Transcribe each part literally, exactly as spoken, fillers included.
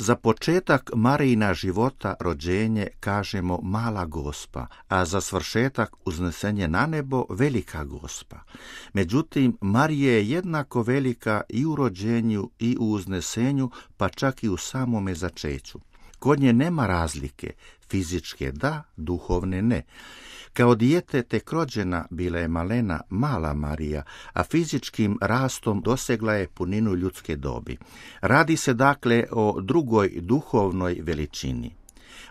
Za početak Marijina života rođenje kažemo mala Gospa, a za svršetak uznesenje na nebo velika Gospa. Međutim, Marija je jednako velika i u rođenju i u uznesenju, pa čak i u samome začeću. Kod nje nema razlike, fizičke da, duhovne ne. Kao dijete tek rođena bila je malena mala Marija, a fizičkim rastom dosegla je puninu ljudske dobi. Radi se dakle o drugoj duhovnoj veličini.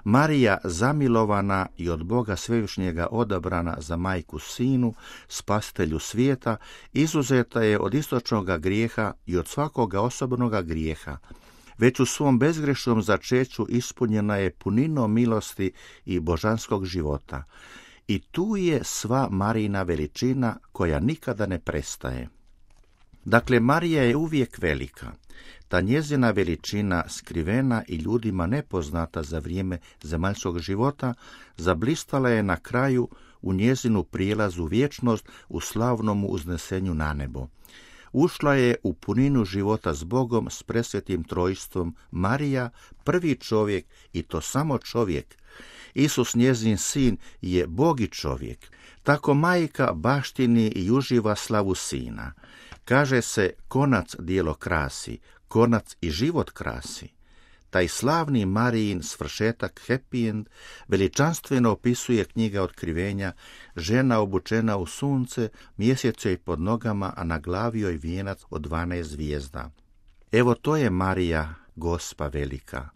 Marija, zamilovana i od Boga Svevišnjega odabrana za majku sinu, spasitelju svijeta, izuzeta je od istočnoga grijeha i od svakoga osobnoga grijeha. Već u svom bezgrešnom začeću ispunjena je puninom milosti i božanskog života. I tu je sva Marijina veličina koja nikada ne prestaje. Dakle, Marija je uvijek velika. Ta njezina veličina, skrivena i ljudima nepoznata za vrijeme zemaljskog života, zablistala je na kraju u njezinu prijelazu vječnost u slavnom uznesenju na nebo. Ušla je u puninu života s Bogom, s presvetim trojstvom. Marija, prvi čovjek, i to samo čovjek. Isus, njezin sin, je Bog i čovjek. Tako majka baštini i uživa slavu sina. Kaže se, konac djelo krasi, konac i život krasi. Taj slavni Marijin svršetak, happy end, veličanstveno opisuje knjiga Otkrivenja, žena obučena u sunce, mjesec joj pod nogama, a na glavi joj vijenac od dvanaest zvijezda. Evo to je Marija, Gospa velika.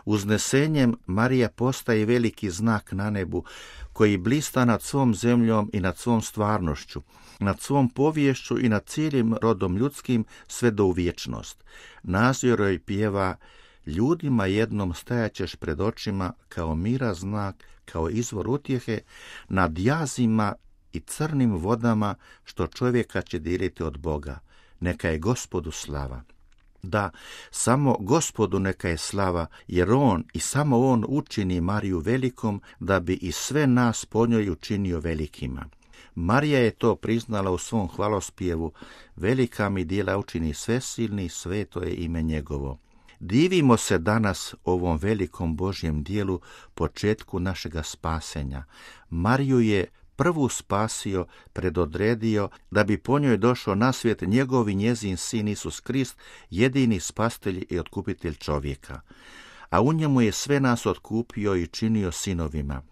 Uznesenjem Marija postaje veliki znak na nebu koji blista nad svom zemljom i nad svom stvarnošću, nad svom poviješću i nad cijelim rodom ljudskim sve do u vječnost. Nazir joj pjeva: ljudima jednom stajaćeš pred očima kao mira znak, kao izvor utjehe, nad jazima i crnim vodama što čovjeka će diriti od Boga. Neka je Gospodu slava. Da, samo Gospodu neka je slava, jer On i samo On učini Mariju velikom, da bi i sve nas po njoj učinio velikima. Marija je to priznala u svom hvalospjevu: velika mi djela učini svesilni, sveto je ime njegovo. Divimo se danas ovom velikom Božjem dijelu, početku našega spasenja. Mariju je prvu spasio, predodredio, da bi po njoj došao na svijet njegov i njezin sin Isus Krist, jedini spasitelj i otkupitelj čovjeka. A u njemu je sve nas otkupio i činio sinovima.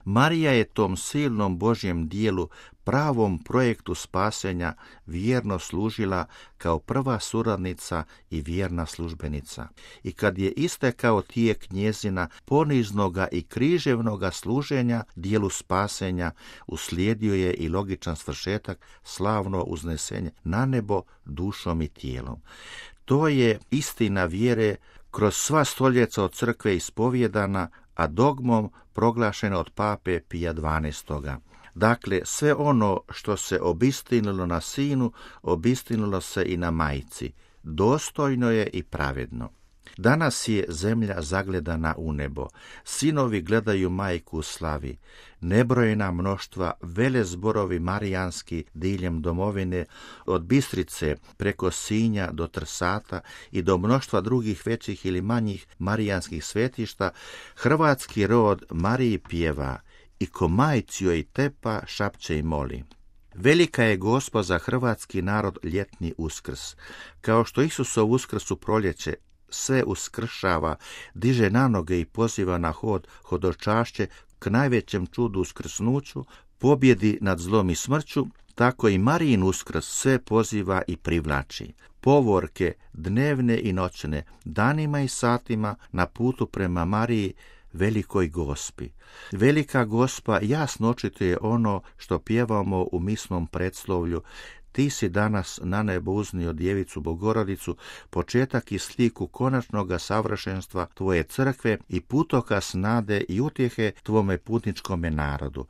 Marija je tom silnom Božjem dijelu, pravom projektu spasenja, vjerno služila kao prva suradnica i vjerna službenica. I kad je istekao tijek njezina poniznoga i križevnoga služenja dijelu spasenja, uslijedio je i logičan svršetak, slavno uznesenje na nebo dušom i tijelom. To je istina vjere kroz sva stoljeća od crkve ispovjedana, a dogmom proglašena od pape Pija dvanaestoga. Dakle, sve ono što se obistinilo na sinu, obistinilo se i na majci. Dostojno je i pravedno. Danas je zemlja zagledana u nebo. Sinovi gledaju majku u slavi. Nebrojena mnoštva, vele zborovi marijanski diljem domovine, od Bistrice preko Sinja do Trsata i do mnoštva drugih većih ili manjih marijanskih svetišta, hrvatski rod Mariji pjeva i ko majci joj tepa, šapće i moli. Velika je Gospa za hrvatski narod ljetni Uskrs. Kao što Isusov Uskrs u proljeće sve uskršava, diže na noge i poziva na hod, hodočašće k najvećem čudu uskrsnuću, pobjedi nad zlom i smrću, tako i Marijin Uskrs sve poziva i privlači. Povorke dnevne i noćne, danima i satima na putu prema Mariji, velikoj Gospi. Velika Gospa jasno očituje ono što pjevamo u misnom predslovlju: ti si danas na nebo uznio djevicu Bogorodicu, početak i sliku konačnoga savršenstva tvoje crkve i putokaz nade i utjehe tvome putničkome narodu.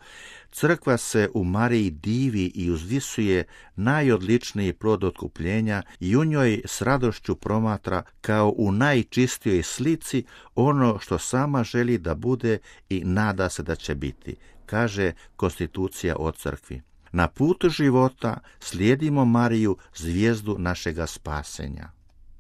Crkva se u Mariji divi i uzvisuje najodličniji plod otkupljenja i u njoj s radošću promatra kao u najčistijoj slici ono što sama želi da bude i nada se da će biti, kaže konstitucija o crkvi. Na putu života slijedimo Mariju, zvijezdu našega spasenja.